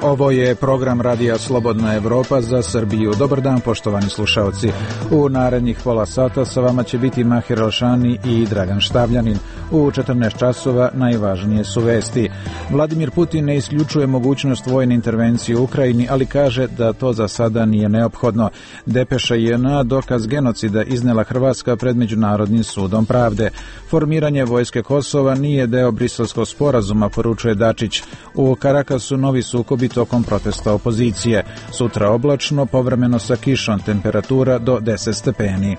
Ovo je program Radija Slobodna Evropa za Srbiju. Dobar dan, poštovani slušaoci. U narednih pola sata sa vama će biti Mahir Alšani i Dragan Štavljanin. U 14 časova najvažnije su vesti. Vladimir Putin ne isključuje mogućnost vojne intervencije u Ukrajini, ali kaže da to za sada nije neophodno. Depeša JNA dokaz genocida iznela Hrvatska pred Međunarodnim sudom pravde. Formiranje vojske Kosova nije deo Briselskog sporazuma, poručuje Dačić. U Karakasu novi sukobi tokom protesta opozicije. Sutra oblačno, povremeno sa kišom, temperatura do 10 stepeni.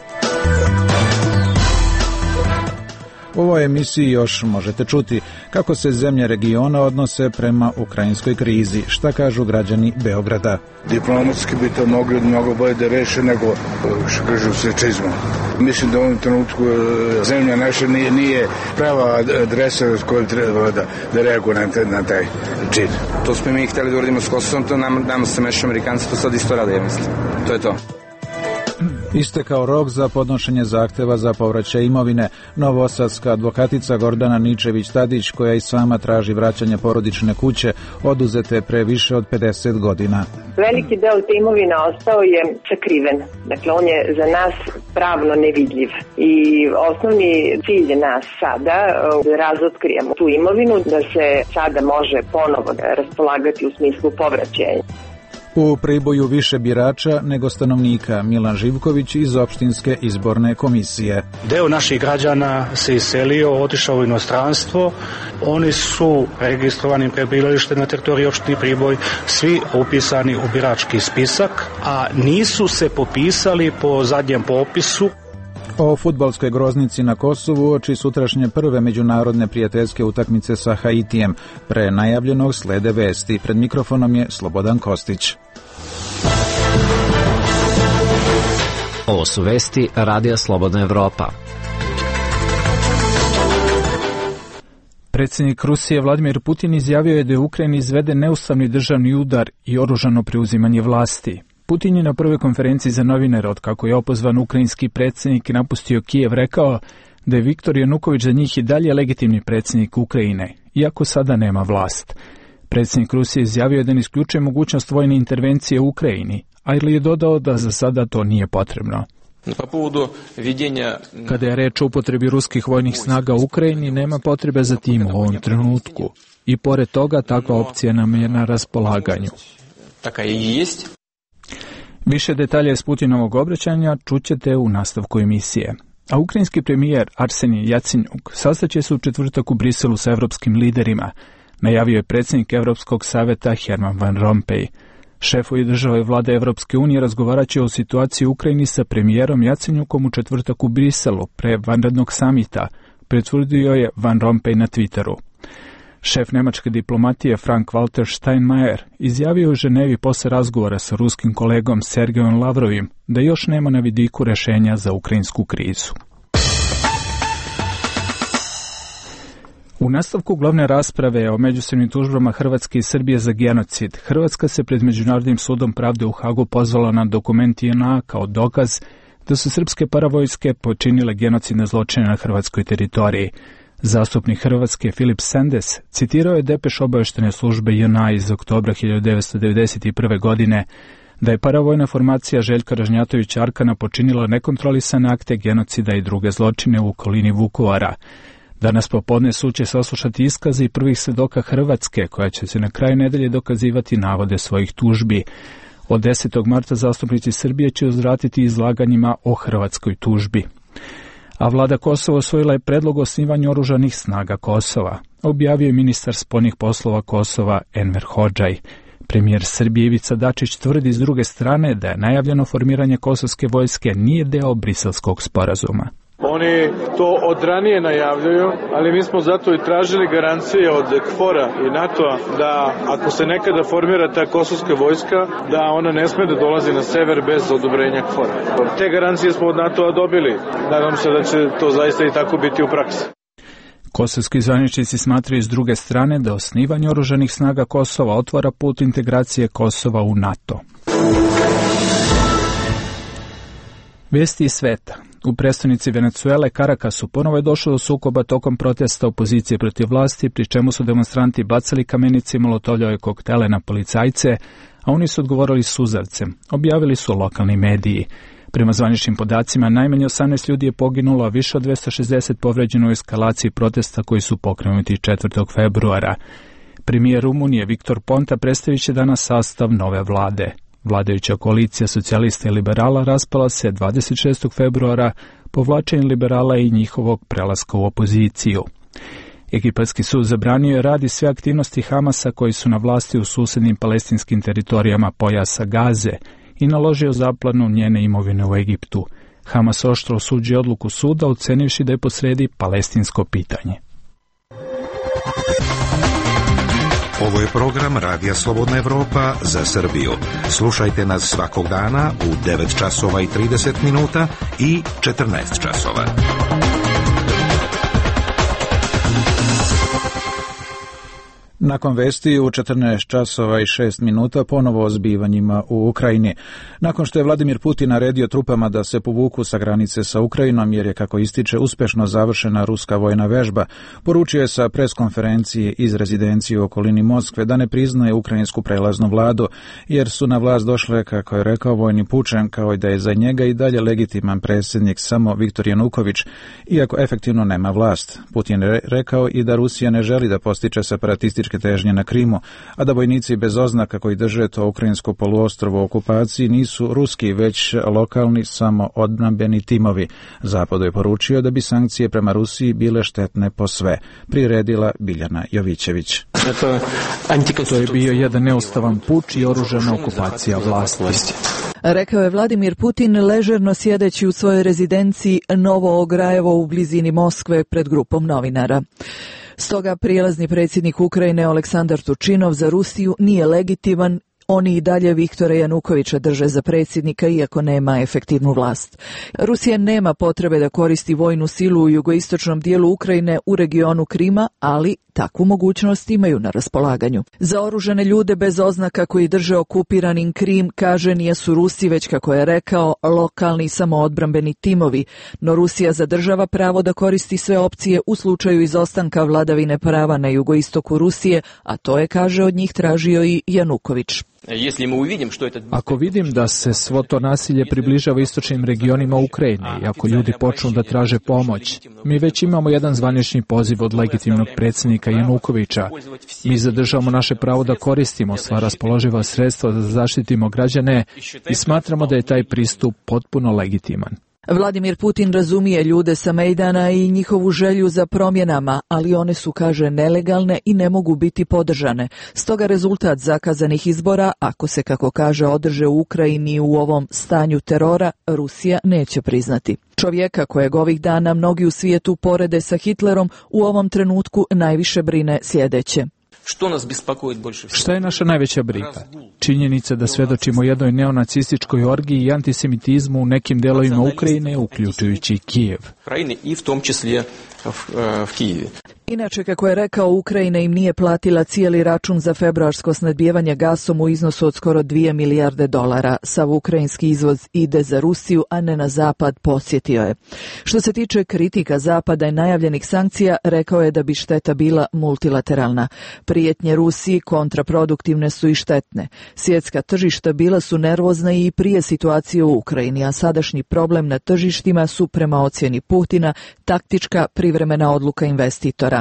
U ovoj emisiji još možete čuti kako se zemlje regiona odnose prema ukrajinskoj krizi, šta kažu građani Beograda. Diplomatski bi to mogli mnogo bolje da reše nego, što kažu, sečizmom. Mislim da u ovom trenutku zemlja naša nije prava adresa s kojom treba da reaguje na taj čin. To smo mi hteli da uradimo s Kosovom, to nam se mešu Amerikanci, to sad isto rade, ja mislim. To je to. Istekao rok za podnošenje zahteva za povraćaj imovine. Novosadska advokatica Gordana Ničević-Tadić, koja i sama traži vraćanje porodične kuće, oduzete pre više od 50 godina. Veliki deo te imovine ostao je sakriven. Dakle, on je za nas pravno nevidljiv. I osnovni cilj nas sada da razotkrijemo tu imovinu, da se sada može ponovo raspolagati u smislu povraćaja. U Priboju više birača nego stanovnika, Milan Živković iz opštinske izborne komisije. Deo naših građana se iselio, otišao u inostranstvo. Oni su registrovani prebivalište na teritoriji opštine Priboj, svi upisani u birački spisak, a nisu se popisali po zadnjem popisu. O fudbalskoj groznici na Kosovu oči sutrašnje prve međunarodne prijateljske utakmice sa Haitijem. Pre najavljenog slede vesti. Pred mikrofonom je Slobodan Kostić. Ovo su vesti Radija Slobodna Evropa. Predsjednik Rusije Vladimir Putin izjavio je da je Ukrajini izveden neustavni državni udar i oružano preuzimanje vlasti. Putin je na prvoj konferenciji za novinare, otkako je opozvan ukrajinski predsjednik i napustio Kijev, rekao da je Viktor Januković za njih i dalje legitimni predsjednik Ukrajine, iako sada nema vlast. Predsjednik Rusije izjavio da ne isključuje mogućnost vojne intervencije u Ukrajini, ali je dodao da za sada to nije potrebno. Kada je reč o upotrebi ruskih vojnih snaga u Ukrajini, nema potrebe za tim u ovom trenutku. I pored toga, takva opcija nam je na raspolaganju. Više detalja iz Putinovog obraćanja čućete u nastavku emisije. A ukrajinski premijer Arsenij Jacenjuk sastaće se u četvrtak u Briselu sa evropskim liderima, najavio je predsjednik Evropskog saveta Herman Van Rompuy. Šefovi države vlade Evropske unije razgovarat će o situaciji u Ukrajini sa premijerom Jacenjukom u četvrtak u Briselu pre vanrednog samita, pretvrdio je Van Rompuy na Twitteru. Šef nemačke diplomatije Frank-Walter Steinmeier izjavio u Ženevi posle razgovora sa ruskim kolegom Sergejom Lavrovim da još nema na vidiku rešenja za ukrajinsku krizu. U nastavku glavne rasprave o međusobnim tužbama Hrvatske i Srbije za genocid, Hrvatska se pred Međunarodnim sudom pravde u Hagu pozvala na dokument JNA kao dokaz da su srpske paravojske počinile genocidne zločine na hrvatskoj teritoriji. Zastupnik Hrvatske Filip Sendes citirao je depeš obaveštene službe JNA iz oktobra 1991. godine da je paravojna formacija Željka Ražnjatovića Arkana počinila nekontrolisane akte genocida i druge zločine u okolini Vukovara. Danas popodne sud će saslušati iskaze i prvih svedoka Hrvatske, koja će se na kraju nedelje dokazivati navode svojih tužbi. Od 10. marta zastupnici Srbije će uzvratiti izlaganjima o hrvatskoj tužbi. A vlada Kosova usvojila je predlog o osnivanju oružanih snaga Kosova, objavio je ministar spoljnih poslova Kosova Enver Hodžaj. Premijer Srbije Ivica Dačić tvrdi s druge strane da je najavljeno formiranje kosovske vojske nije deo Briselskog sporazuma. Oni to od ranije najavljuju, ali mi smo zato i tražili garancije od KFOR-a i NATO-a da ako se nekada formira ta kosovska vojska, da ona ne sme da dolazi na sever bez odobrenja KFOR-a. Te garancije smo od NATO-a dobili. Nadam se da će to zaista i tako biti u praksi. Kosovski zvaničnici smatraju s druge strane da osnivanje oružanih snaga Kosova otvara put integracije Kosova u NATO. Vesti iz sveta. U prestonici Venecuele, Karakasu, ponovo je došlo do sukoba tokom protesta opozicije protiv vlasti, pri čemu su demonstranti bacali kamenice i molotovljave koktele na policajce, a oni su odgovorili suzavcem, objavili su lokalni mediji. Prema zvaničnim podacima, najmanje 18 ljudi je poginulo, a više od 260 povređeno u eskalaciji protesta koji su pokrenuti 4. februara. Premijer Rumunije Viktor Ponta predstavit će danas sastav nove vlade. Vladajuća koalicija socijalista i liberala raspala se 26. februara povlačenjem liberala i njihovog prelaska u opoziciju. Egipatski sud zabranio je radi sve aktivnosti Hamasa koji su na vlasti u susednim palestinskim teritorijama pojasa Gaze i naložio zaplanu njene imovine u Egiptu. Hamas oštro osuđuje odluku suda, ocenivši da je posredi palestinsko pitanje. Ovo je program Radija Slobodna Evropa za Srbiju. Slušajte nas svakog dana u 9 časova i 30 minuta i 14 časova. Nakon vesti u 14 časova i 6 minuta ponovo o zbivanjima u Ukrajini. Nakon što je Vladimir Putin naredio trupama da se povuku sa granice sa Ukrajinom, jer je, kako ističe, uspešno završena ruska vojna vežba, poručio je sa preskonferencije iz rezidencije u okolini Moskve da ne priznaje ukrajinsku prelaznu vladu, jer su na vlast došle, kako je rekao, vojni pučem, kao i da je za njega i dalje legitiman predsjednik samo Viktor Januković, iako efektivno nema vlast. Putin je rekao i da Rusija ne želi da postiče separatističke težnje na Krimu, a da vojnici bez oznaka koji drže to ukrajinsko poluostrvo u okupaciji nisu ruski, već lokalni samoodbrambeni timovi. Zapadu je poručio da bi sankcije prema Rusiji bile štetne po sve. Priredila Biljana Jovićević. To je bio jedan neustavan puč i oružana okupacija vlasti. Rekao je Vladimir Putin ležerno sjedeći u svojoj rezidenciji Novo Ograjevo u blizini Moskve pred grupom novinara. Stoga prijelazni predsjednik Ukrajine Aleksandar Tučinov za Rusiju nije legitiman. Oni i dalje Viktora Janukovića drže za predsjednika, iako nema efektivnu vlast. Rusija nema potrebe da koristi vojnu silu u jugoistočnom dijelu Ukrajine u regionu Krima, ali takvu mogućnost imaju na raspolaganju. Za oružane ljude bez oznaka koji drže okupiranim Krim, kaže, nisu Rusi, već, kako je rekao, lokalni samoodbrambeni timovi, no Rusija zadržava pravo da koristi sve opcije u slučaju izostanka vladavine prava na jugoistoku Rusije, a to je, kaže, od njih tražio i Januković. Ako vidim da se svo to nasilje približava istočnim regionima Ukrajine i ako ljudi počnu da traže pomoć, mi već imamo jedan zvanični poziv od legitimnog predsjednika Janukovića. Mi zadržavamo naše pravo da koristimo sva raspoloživa sredstva da zaštitimo građane i smatramo da je taj pristup potpuno legitiman. Vladimir Putin razumije ljude sa Mejdana i njihovu želju za promjenama, ali one su, kaže, nelegalne i ne mogu biti podržane. Stoga rezultat zakazanih izbora, ako se, kako kaže, održe u Ukrajini u ovom stanju terora, Rusija neće priznati. Čovjeka kojeg ovih dana mnogi u svijetu porede sa Hitlerom u ovom trenutku najviše brine sljedeće. Šta je naša najveća briga? Činjenica da svedočimo jednoj neonacističkoj orgiji i antisemitizmu u nekim delovima Ukrajine, uključujući Kijev. Inače, kako je rekao, Ukrajina im nije platila cijeli račun za februarsko snabdijevanje gasom u iznosu od skoro 2 milijarde dolara. Sav ukrajinski izvoz ide za Rusiju, a ne na zapad, podsjetio je. Što se tiče kritika zapada i najavljenih sankcija, rekao je da bi šteta bila multilateralna. Prijetnje Rusiji kontraproduktivne su i štetne. Svjetska tržišta bila su nervozna i prije situacije u Ukrajini, a sadašnji problem na tržištima su, prema ocjeni Putina, taktička privremena odluka investitora.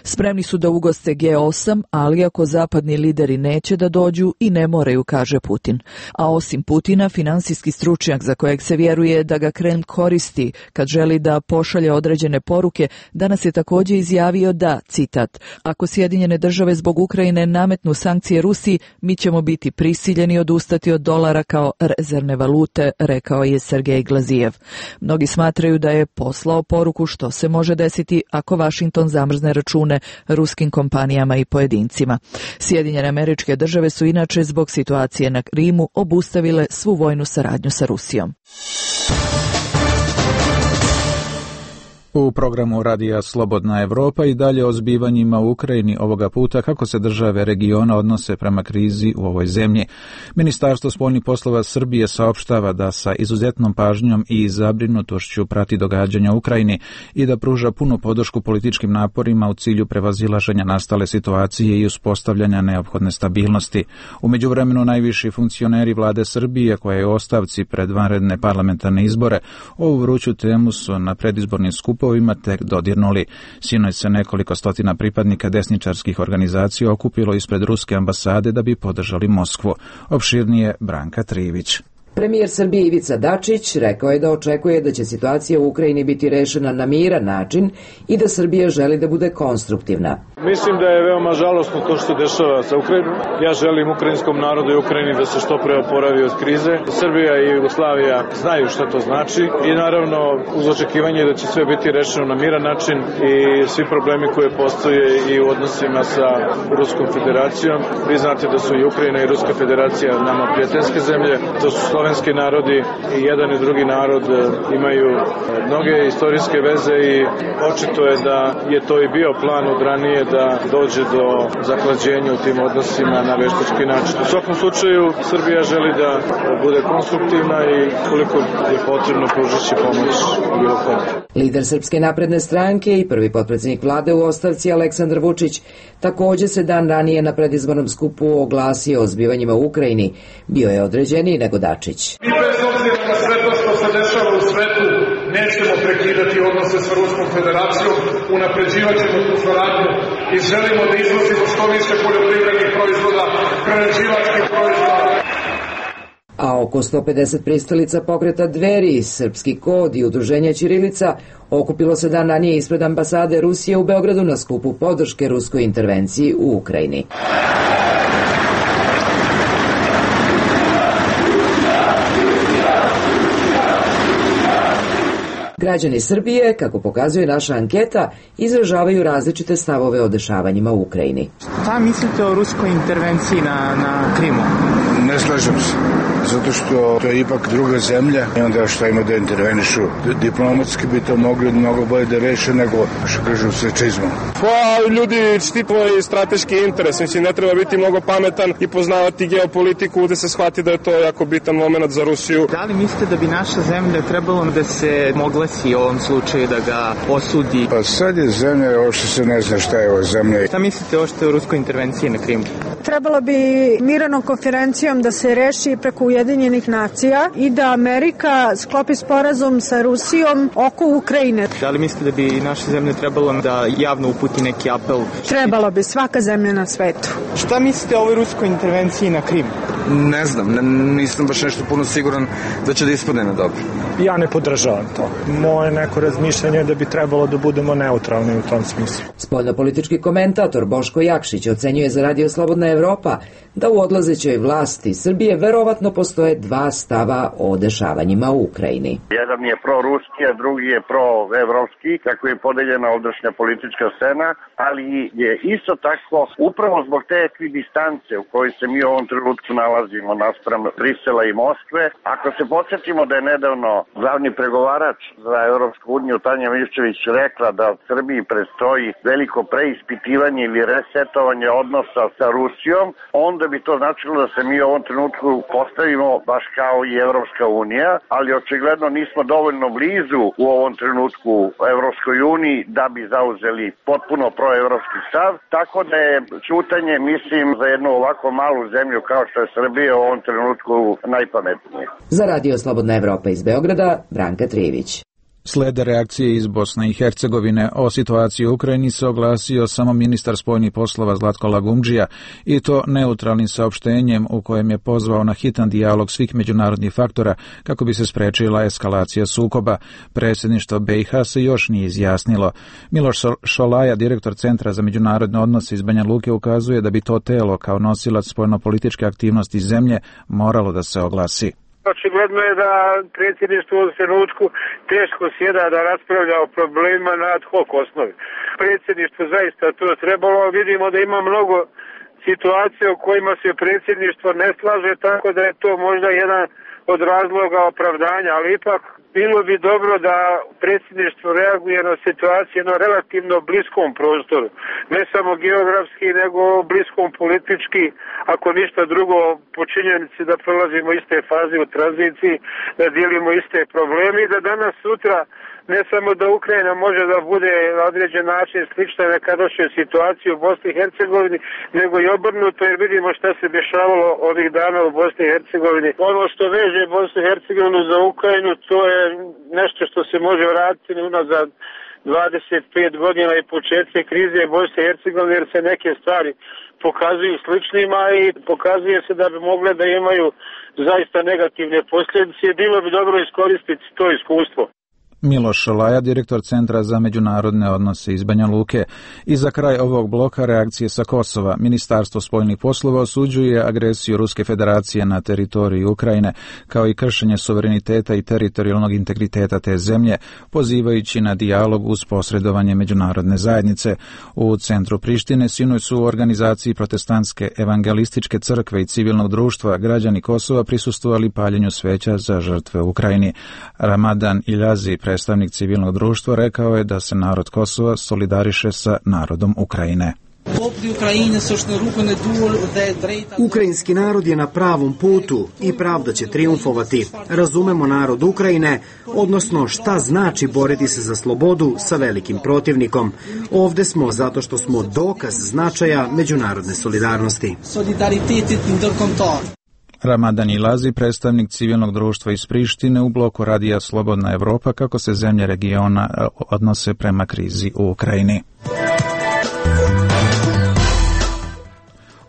Spremni su da ugoste G8, ali ako zapadni lideri neće da dođu i ne moraju, kaže Putin. A osim Putina, finansijski stručnjak za kojeg se vjeruje da ga Kreml koristi kad želi da pošalje određene poruke, danas je također izjavio da, citat, ako Sjedinjene države zbog Ukrajine nametnu sankcije Rusiji, mi ćemo biti prisiljeni odustati od dolara kao rezervne valute, rekao je Sergej Glazijev. Mnogi smatraju da je poslao poruku što se može desiti ako Washington zamrzne račune ruskim kompanijama i pojedincima. Sjedinjene Američke Države su inače zbog situacije na Krimu obustavile svu vojnu saradnju sa Rusijom. U programu Radija Slobodna Evropa i dalje o zbivanjima u Ukrajini, ovoga puta kako se države regiona odnose prema krizi u ovoj zemlji. Ministarstvo spoljnih poslova Srbije saopštava da sa izuzetnom pažnjom i zabrinutošću prati događanja u Ukrajini i da pruža punu podršku političkim naporima u cilju prevazilaženja nastale situacije i uspostavljanja neophodne stabilnosti. U međuvremenu najviši funkcioneri vlade Srbije, koja je u ostavci pred vanredne parlamentarne izbore, ovu vruću temu su na predizbornim skupovima tek dodirnuli. Sinoć se nekoliko stotina pripadnika desničarskih organizacija okupilo ispred ruske ambasade da bi podržali Moskvu. Opširnije Branka Trivić. Premijer Srbije Ivica Dačić rekao je da očekuje da će situacija u Ukrajini biti rešena na miran način i da Srbija želi da bude konstruktivna. Mislim da je veoma žalosno to što se dešava sa Ukrajinom. Ja želim ukrajinskom narodu i Ukrajini da se što pre oporavi od krize. Srbija i Jugoslavija znaju šta to znači i naravno uz očekivanje da će sve biti rešeno na miran način i svi problemi koje postoje i u odnosima sa Ruskom federacijom. Vi znate da su i Ukrajina i Ruska federacija nama prijateljske zemlje, to su slovenski narodi i jedan i drugi narod imaju mnoge istorijske veze i očito je da je to i bio plan od ranije da dođe do zahlađenja u tim odnosima na veštački način. U svakom slučaju Srbija želi da bude konstruktivna i koliko je potrebno pružići pomoć bilo kome. Lider Srpske napredne stranke i prvi potpredsjednik vlade u ostavci Aleksandar Vučić takođe se dan ranije na predizbornom skupu oglasio o zbivanjima u Ukrajini. Bio je određeniji nego Dačić. Mi bez obzira na sve to što se dešava u svetu nećemo prekidati odnose sa Ruskom federacijom, unapređivat ćemo tu saradnju i želimo da izvozimo što više poljoprivrednih proizvoda, prerađivačkih proizvoda. A oko 150 pristalica pokreta Dveri, Srpski kod i udruženja Ćirilica okupilo se dan ranije ispred ambasade Rusije u Beogradu na skupu podrške ruskoj intervenciji u Ukrajini. Građani Srbije, kako pokazuje naša anketa, izražavaju različite stavove o dešavanjima u Ukrajini. Šta mislite o ruskoj intervenciji na Krimu? Ne slažem se, zato što to je ipak druga zemlja i onda šta ima da intervenišu. Diplomatski bi to mogli mnogo bolje da reše nego, što kažu, sečizmom. Pa ljudi štitili strateški interes, mislim ne treba biti mnogo pametan i poznavati geopolitiku da se shvati da je to jako bitan moment za Rusiju. Da li mislite da bi naša zemlja trebalo da se oglasi u ovom slučaju da ga osudi? Pa sad je zemlja, ovo što se ne zna šta je ovo zemlja. Šta mislite o ruskoj intervenciji na Krimu? Trebalo bi miranom konferencijom da se reši preko Ujedinjenih nacija i da Amerika sklopi sporazum sa Rusijom oko Ukrajine. Da li mislite da bi naša zemlja trebalo da javno uputi neki apel? Trebalo bi, svaka zemlja na svetu. Šta mislite o ovoj ruskoj intervenciji na Krimu? Ne znam, nisam baš nešto puno siguran da će da ispadne na dobro. Ja ne podržavam to. Moje neko razmišljanje je da bi trebalo da budemo neutralni u tom smislu. Spoljnopolitički komentator Boško Jakšić ocenjuje za Radio Slobodna Evropa da u odlazećoj vlasti Srbije verovatno postoje dva stava o dešavanjima u Ukrajini. Jedan je proruski, a drugi je proevropski, kako je podeljena ovdašnja politička scena, ali je isto tako upravo zbog te ekvidistance u kojoj se mi u ovom trenutku nalazimo naspram Brisela i Moskve. Ako se podsjetimo da je nedavno glavni pregovarač za Europsku uniju Tanja Miščević rekla da Srbiji predstoji veliko preispitivanje ili resetovanje odnosa sa Rusijom, onda bi to značilo da se mi u ovom trenutku postavimo baš kao i Evropska unija, ali očigledno nismo dovoljno blizu u ovom trenutku Evropskoj uniji da bi zauzeli potpuno proevropski stav, tako da je ćutanje, mislim, za jednu ovako malu zemlju kao što je Srbija u ovom trenutku najpametnije. Za Radio Slobodna Evropa iz Beograda, Branka Trivić. Slede reakcije iz Bosne i Hercegovine o situaciji u Ukrajini se oglasio samo ministar spoljnih poslova Zlatko Lagumdžija i to neutralnim saopštenjem u kojem je pozvao na hitan dijalog svih međunarodnih faktora kako bi se sprečila eskalacija sukoba. Predsjedništvo BiH se još nije izjasnilo. Miloš Šolaja, direktor Centra za međunarodne odnose iz Banja Luke, ukazuje da bi to telo kao nosilac spoljnopolitičke aktivnosti zemlje moralo da se oglasi. Očigledno je da predsjedništvo u trenutku teško sjeda da raspravlja o problemima na ad hoc osnovi. Predsjedništvo zaista to trebalo, vidimo da ima mnogo situacija u kojima se predsjedništvo ne slaže, tako da je to možda jedan od razloga opravdanja, ali ipak bilo bi dobro da predsjedništvo reaguje na situaciju na relativno bliskom prostoru. Ne samo geografski, nego bliskom politički, ako ništa drugo, po činjenici da prolazimo iste faze u tranziciji, da dijelimo iste probleme i da danas sutra ne samo da Ukrajina može da bude na određen način slična nekadašnjoj situaciji u Bosni i Hercegovini, nego i obrnuto, jer vidimo šta se dešavalo ovih dana u Bosni i Hercegovini. Ono što veže Bosnu i Hercegovinu za Ukrajinu, to je nešto što se može vratiti unazad 25 godina i početke krize Bosne i Hercegovine, jer se neke stvari pokazuju sličnima i pokazuje se da bi mogle da imaju zaista negativne posljedice. Bilo bi dobro iskoristiti to iskustvo. Miloš Laja, direktor Centra za međunarodne odnose iz Banja Luke. I za kraj ovog bloka reakcije sa Kosova. Ministarstvo spoljnih poslova osuđuje agresiju Ruske federacije na teritoriju Ukrajine, kao i kršenje suvereniteta i teritorijalnog integriteta te zemlje, pozivajući na dijalog uz posredovanje međunarodne zajednice. U centru Prištine sinoć su u organizaciji Protestantske evangelističke crkve i civilnog društva građani Kosova prisustvovali paljenju sveća za žrtve u Ukrajini. Ramadan Iljazi, predstavnik civilnog društva, rekao je da se narod Kosova solidariše sa narodom Ukrajine. Ukrajinski narod je na pravom putu i pravda će trijumfovati. Razumemo narod Ukrajine, odnosno šta znači boriti se za slobodu sa velikim protivnikom. Ovde smo zato što smo dokaz značaja međunarodne solidarnosti. Ramadan Ilazi, predstavnik civilnog društva iz Prištine u bloku radija Slobodna Evropa, kako se zemlje regiona odnose prema krizi u Ukrajini.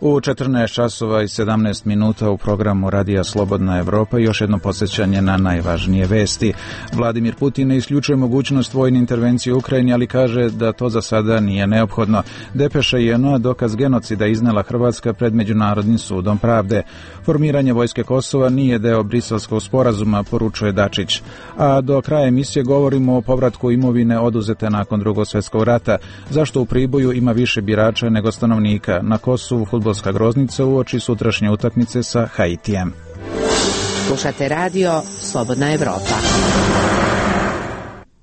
U 14 časova i 17 minuta u programu Radija Slobodna Evropa još jedno podsjećanje na najvažnije vesti. Vladimir Putin ne isključuje mogućnost vojne intervencije u Ukrajini, ali kaže da to za sada nije neophodno. Depeša JNA dokaz genocida iznela Hrvatska pred Međunarodnim sudom pravde. Formiranje vojske Kosova nije deo Briselskog sporazuma, poručuje Dačić. A do kraja emisije govorimo o povratku imovine oduzete nakon Drugog svjetskog rata. Zašto u Priboju ima više birača nego stanovnika? Na Kosovu fudbalska groznica uoči sutrašnje utakmice sa Haitijem. Slušate radio Slobodna Evropa.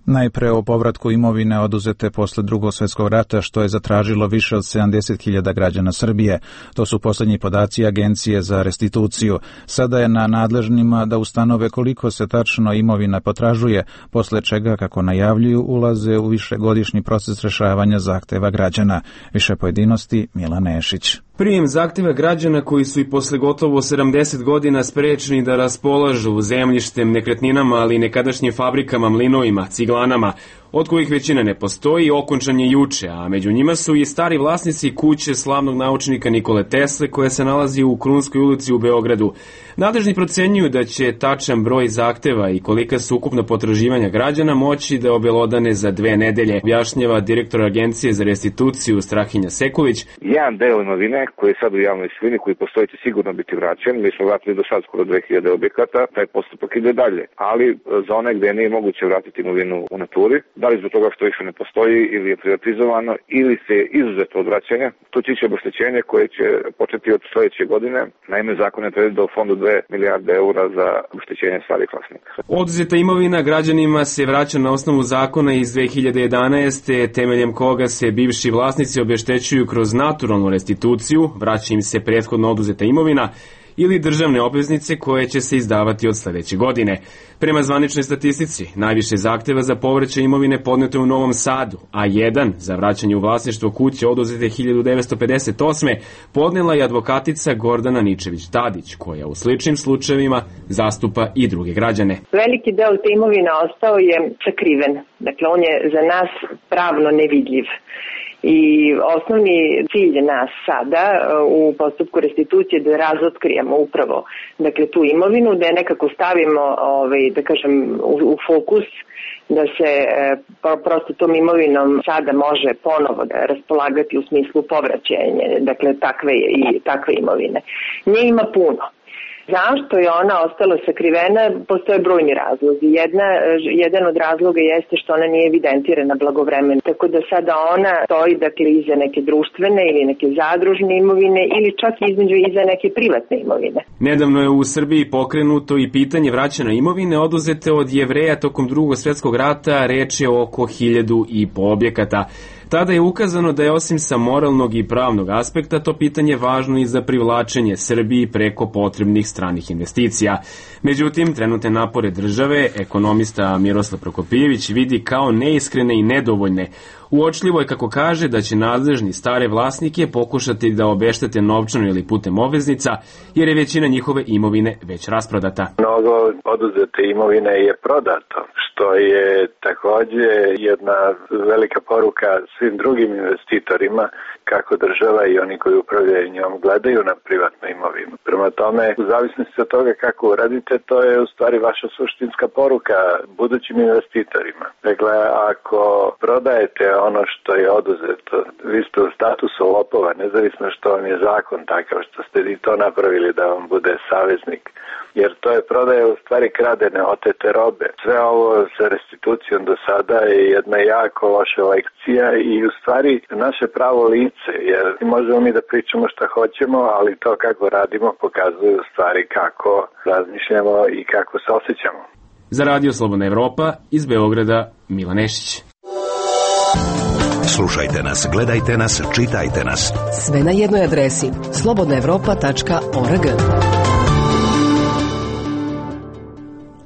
Najpre o povratku imovine oduzete posle Drugog svjetskog rata, što je zatražilo više od 70.000 građana Srbije. To su posljednji podaci Agencije za restituciju. Sada je na nadležnima da ustanove koliko se tačno imovina potražuje, posle čega, kako najavljuju, ulaze u višegodišnji proces rešavanja zahteva građana. Više pojedinosti Milan Nešić. Prijem zahtjeva građana koji su i posle gotovo 70 godina sprečeni da raspolažu zemljištem, nekretninama, ali i nekadašnjim fabrikama, mlinovima, ciglanama, od kojih većina ne postoji, okončan je juče, a među njima su i stari vlasnici kuće slavnog naučnika Nikole Tesle, koja se nalazi u Krunskoj ulici u Beogradu. Nadležni procenjuju da će tačan broj zahteva i kolika su ukupna potraživanja građana moći da obelodane za 2 nedelje, objašnjava direktor Agencije za restituciju Strahinja Sekulić. Jedan deo imovine koji je sad u javnoj svojini, koji postoji, će sigurno biti vraćen. Mi smo vratili do sad skoro 2000 objekata, taj postupak ide dalje. Ali za one gde nije moguće vratiti imovinu u naturi, da li zbog toga što više ne postoji ili je privatizovano ili se je izuzeto od vraćanja, tu će ići obeštećenje koje će početi od sledeće godine. Naime, zakon je predvideo u fondu 2 milijarde eura za obeštećenje starih vlasnika. Oduzeta imovina građanima se vraća na osnovu zakona iz 2011. temeljem koga se bivši vlasnici obeštećuju kroz naturalnu restituciju, vraća im se prethodno oduzeta imovina ili državne obveznice koje će se izdavati od sledeće godine. Prema zvaničnoj statistici, najviše zahteva za povraćaj imovine podneto je u Novom Sadu, a jedan za vraćanje u vlasništvo kuće oduzete 1958. podnela je advokatica Gordana Ničević-Tadić, koja u sličnim slučajevima zastupa i druge građane. Veliki deo te imovine ostao je sakriven. Dakle, on je za nas pravno nevidljiv. I osnovni cilj nas sada u postupku restitucije da razotkrijemo upravo tu imovinu, da je nekako stavimo da kažem u fokus, da se prosto tom imovinom sada može ponovo da raspolagati u smislu povraćanja takve imovine. Nje ima puno. Zašto je ona ostala sakrivena? Postoje brojni razlozi. Jedan od razloga jeste što ona nije evidentirana blagovremeno. Tako da sada ona stoji iza neke društvene ili neke zadružne imovine ili čak iza neke privatne imovine. Nedavno je u Srbiji pokrenuto i pitanje vraćanja imovine oduzete od Jevreja tokom Drugog svjetskog rata, reč je oko 1.500 objekata. Tada je ukazano da je osim sa moralnog i pravnog aspekta to pitanje važno i za privlačenje Srbiji preko potrebnih stranih investicija. Međutim, trenutne napore države ekonomista Miroslav Prokopijević vidi kao neiskrene i nedovoljne. Uočljivo je kako kaže da će nadležni stare vlasnike pokušati da obeštete novčano ili putem obveznica, jer je većina njihove imovine već rasprodata. Mnogo oduzete imovine je prodato, što je takođe jedna velika poruka svim drugim investitorima kako država i oni koji upravljaju njom gledaju na privatnu imovinu. Prema tome, u zavisnosti od toga kako uradite, to je u stvari vaša suštinska poruka budućim investitorima. Dakle, ako prodajete ono što je oduzeto, vi ste u statusu lopova, nezavisno što vam je zakon takav, što ste vi to napravili da vam bude saveznik. Jer to je prodaja u stvari kradene, otete robe. Sve ovo sa restitucijom do sada je jedna jako loša lekcija i u stvari naše pravo lice, jer možemo mi da pričamo šta hoćemo, ali to kako radimo pokazuje u stvari kako razmišljamo i kako se osjećamo. Za Radio Slobodna Evropa iz Beograda, Milan Nešić. Slušajte nas, gledajte nas, čitajte nas. Sve na jednoj adresi slobodnaevropa.org.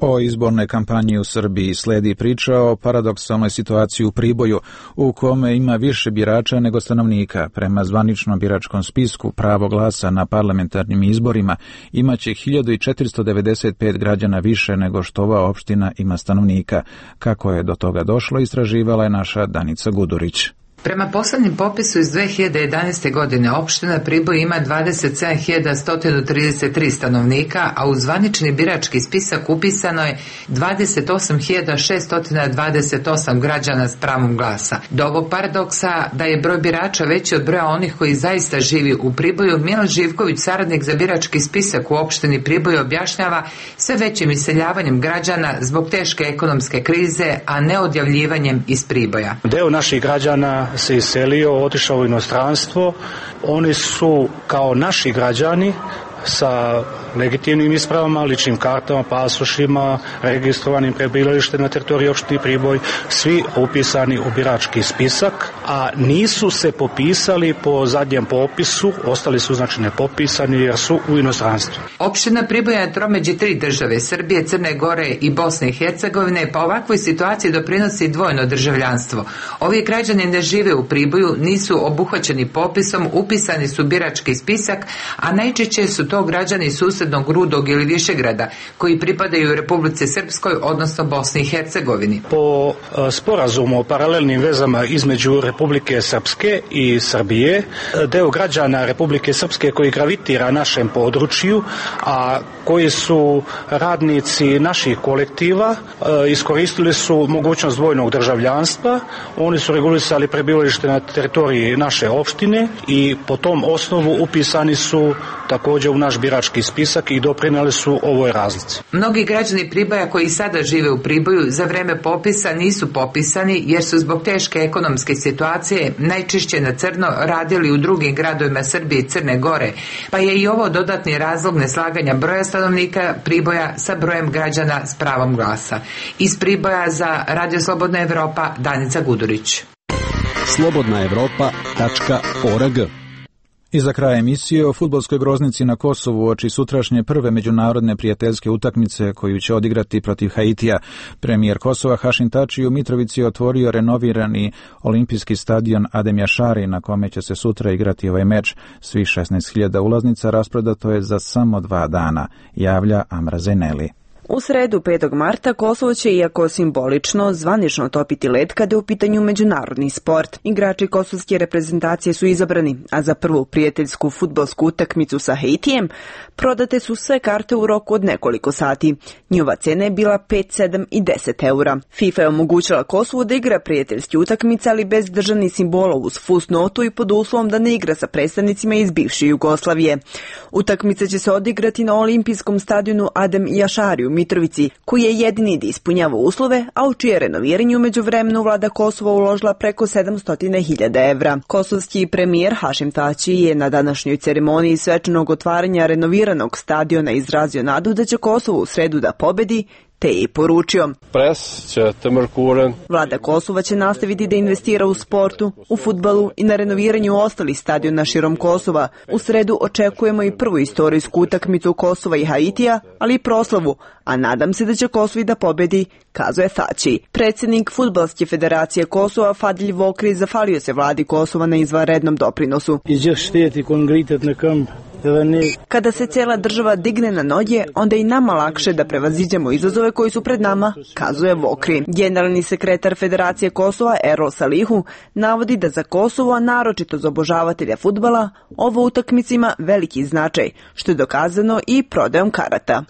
O izbornoj kampanji u Srbiji sledi priča o paradoksalnoj situaciji u Priboju, u kome ima više birača nego stanovnika. Prema zvaničnom biračkom spisku pravo glasa na parlamentarnim izborima imaće 1495 građana više nego što ova opština ima stanovnika. Kako je do toga došlo, istraživala je naša Danica Gudurić. Prema poslednjem popisu iz 2011. godine opština Priboj ima 27.133 stanovnika, a u zvanični birački spisak upisano je 28.628 građana s pravom glasa. Do ovog paradoksa da je broj birača veći od broja onih koji zaista živi u Priboju, Milan Živković, saradnik za birački spisak u opštini Priboj, objašnjava sve većim iseljavanjem građana zbog teške ekonomske krize, a ne odjavljivanjem iz Priboja. Deo naših građana se iselio, otišao u inostranstvo. Oni su kao naši građani sa legitimnim ispravama, ličnim kartama, pasošima, registrovanim prebivalištem na teritoriji opštine Priboj, svi upisani u birački spisak, a nisu se popisali po zadnjem popisu, ostali su znači nepopisani jer su u inostranstvu. Opština Priboj je tromeđi 3 države, Srbije, Crne Gore i Bosne i Hercegovine, pa ovakvoj situaciji doprinosi dvojno državljanstvo. Ovi građani ne žive u Priboju, nisu obuhvaćeni popisom, upisani su birački spisak, a najčešće su to građani susednog Rudog ili Višegrada koji pripadaju Republici Srpskoj, odnosno Bosni i Hercegovini. Po sporazumu o paralelnim vezama između Republike Srpske i Srbije, deo građana Republike Srpske koji gravitira našem području, a koji su radnici naših kolektiva, iskoristili su mogućnost dvojnog državljanstva. Oni su regulisali prebivalište na teritoriji naše opštine i po tom osnovu upisani su također u naš birački spisak i doprineli su ovoj razlici. Mnogi građani Priboja koji sada žive u Priboju za vreme popisa nisu popisani jer su zbog teške ekonomske situacije najčešće na crno radili u drugim gradovima Srbije i Crne Gore, pa je i ovo dodatni razlog neslaganja broja stanovnika Priboja sa brojem građana s pravom glasa. Iz Priboja za Radio Slobodna Evropa, Danica Gudurić. slobodnaevropa.org. I za kraj emisije o fudbalskoj groznici na Kosovu uoči sutrašnje prve međunarodne prijateljske utakmice koju će odigrati protiv Haitija. Premijer Kosova Hašim Tači u Mitrovici otvorio renovirani olimpijski stadion Adem Jašari na kome će se sutra igrati ovaj meč. Svih 16.000 ulaznica rasprodato je za samo 2 dana, javlja Amra Zeneli. U sredu 5. marta Kosovo će, iako simbolično, zvanično topiti led kada je u pitanju međunarodni sport. Igrači kosovske reprezentacije su izabrani, a za prvu prijateljsku fudbalsku utakmicu sa Haitijem prodate su sve karte u roku od nekoliko sati. Njihova cena je bila 5, 7 i 10 eura. FIFA je omogućila Kosovu da igra prijateljski utakmice, ali bez državnih simbola, uz fusnotu i pod uslovom da ne igra sa predstavnicima iz bivše Jugoslavije. Utakmica će se odigrati na olimpijskom stadionu Adem Jašari u Mitrovici, koji je jedini da ispunjava uslove, a u čije renoviranje umeđu vremenu vlada Kosova uložila preko 700.000 evra. Kosovski premijer Hašim Tači je na današnjoj ceremoniji svečanog otvaranja renoviranog stadiona izrazio nadu da će Kosovo u sredu da pobedi, te je i poručio: Vlada Kosova će nastaviti da investira u sportu, u fudbalu i na renoviranju ostalih stadiona širom Kosova. U sredu očekujemo i prvu istorijsku utakmicu Kosova i Haitija, ali i proslavu, a nadam se da će Kosovo da pobedi, kazuje Tači. Predsjednik Fudbalske federacije Kosova Fadil Vokri zahvalio se vladi Kosova na izvanrednom doprinosu. Kada se cijela država digne na noge, onda je i nama lakše da prevaziđemo izazove koji su pred nama, kazuje Vokri. Generalni sekretar Federacije Kosova Erol Salihu navodi da za Kosovo, a naročito za obožavatelja fudbala, ovo utakmica ima veliki značaj, što je dokazano i prodajom karata.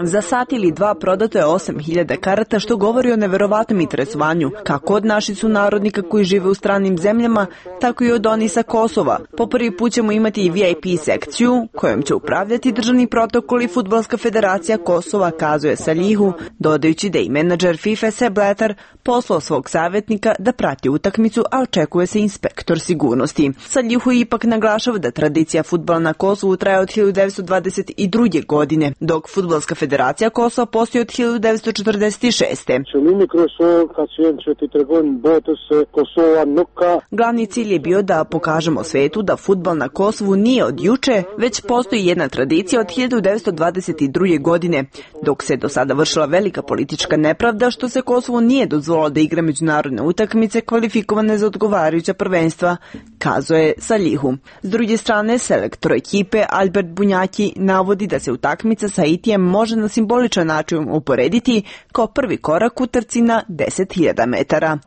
Za sat ili dva prodato je 8.000 karata, što govori o neverovatnom interesovanju, kako od naših sunarodnika koji žive u stranim zemljama, tako i od onih sa Kosova. Po prvi put ćemo imati i VIP sekciju, kojom će upravljati državni protokol i Fudbalska federacija Kosova, kazuje Salihu, dodajući da i menadžer FIFA Sepp Blatter poslao svog savjetnika da prati utakmicu, a očekuje se inspektor sigurnosti. Salihu ipak naglašava da tradicija fudbala na Kosovu traje od 1922. godine, dok Fudbalska federacija Kosova postoji od 1946. Glavni cilj je bio da pokažemo svetu da fudbal na Kosovu nije od juče, već postoji jedna tradicija od 1922. godine, dok se do sada vršila velika politička nepravda što se Kosovu nije dozvolilo da igra međunarodne utakmice kvalifikovane za odgovarajuća prvenstva, kazuje Salihu. S druge strane, selektor ekipe Albert Bunjaki navodi da se utakmica sa Haitijem može na simboličan način uporediti kao prvi korak u trci na 10.000 metara.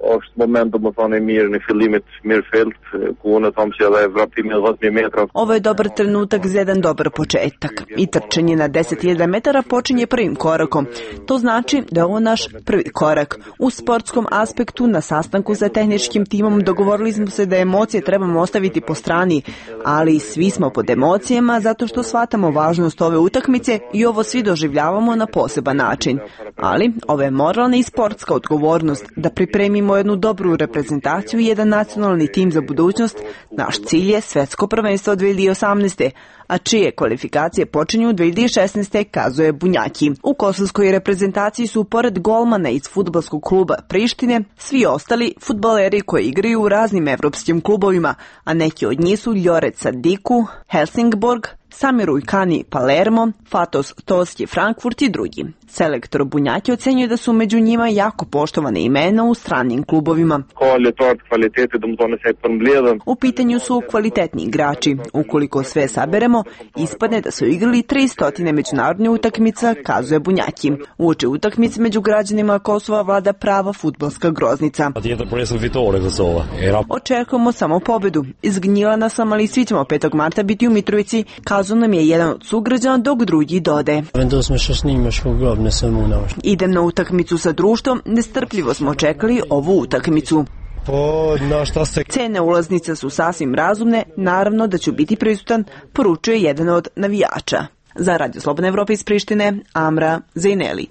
Ovo je dobar trenutak za jedan dobar početak i trčanje na 10.000 metara počinje prvim korakom. To znači da je ovo naš prvi korak. U sportskom aspektu na sastanku sa tehničkim timom dogovorili smo se da emocije trebamo ostaviti po strani, ali svi smo pod emocijama zato što shvatamo važnost ove utakmice i ovo svi doživljavamo na poseban način. Ali ovo je moralna i sportska odgovornost da pripremimo jednu dobru reprezentaciju i jedan nacionalni tim za budućnost. Naš cilj je svetsko prvenstvo 2018. a čije kvalifikacije počinju 2016. kazuje Bunjaki. U kosovskoj reprezentaciji su pored golmana iz fudbalskog kluba Prištine svi ostali fudbaleri koji igraju u raznim evropskim klubovima, a neki od njih su Ljoret Sadiku, Helsingborg, Samir Ujkani Palermo, Fatos Toski Frankfurt i drugi. Selektor Bunjaki ocenjuje da su među njima jako poštovane imena u stranim klubovima. U pitanju su kvalitetni igrači. Ukoliko sve saberemo, ispadne da su igrali 300 međunarodnih utakmica, kazuje Bunjaki. Uoči utakmice među građanima Kosova vlada prava fudbalska groznica. Očekujemo samo pobedu. Izgnjilana sam, ali svi ćemo 5. marta biti u Mitrovici, kazao nam je jedan od sugrađana, dok drugi dode. Idem na utakmicu sa društvom, nestrpljivo smo čekali ovu utakmicu. Cene ulaznica su sasvim razumne, naravno da ću biti prisutan, poručuje jedan od navijača. Za Radio Slobodna Evropa iz Prištine, Amra Zejneli.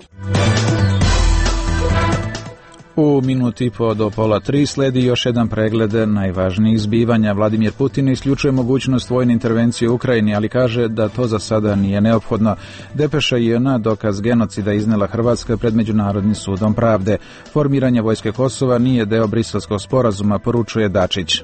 U minuti po do 2:30 sledi još jedan pregled najvažnijih zbivanja. Vladimir Putin isključuje mogućnost vojne intervencije u Ukrajini, ali kaže da to za sada nije neophodno. Depeša JN dokaz genocida iznela Hrvatska pred Međunarodnim sudom pravde. Formiranje vojske Kosova nije deo Briselskog sporazuma, poručuje Dačić.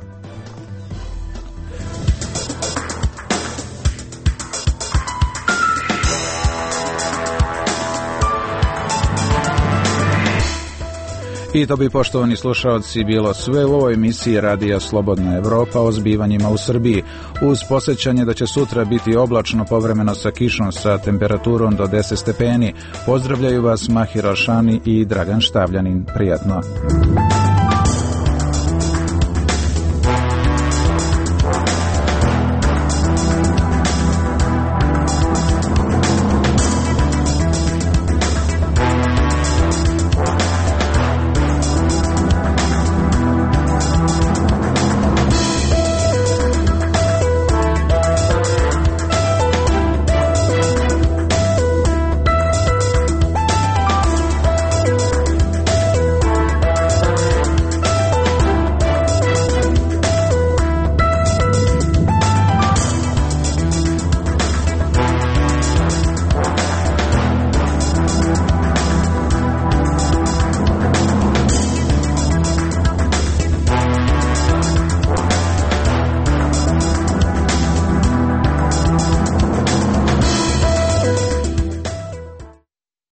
I to bi, poštovani slušalci, bilo sve u ovoj emisiji Radija Slobodna Evropa o zbivanjima u Srbiji, uz posjećanje da će sutra biti oblačno, povremeno sa kišom, sa temperaturom do 10 stepeni. Pozdravljaju vas Mahir Alšani i Dragan Štavljanin. Prijatno.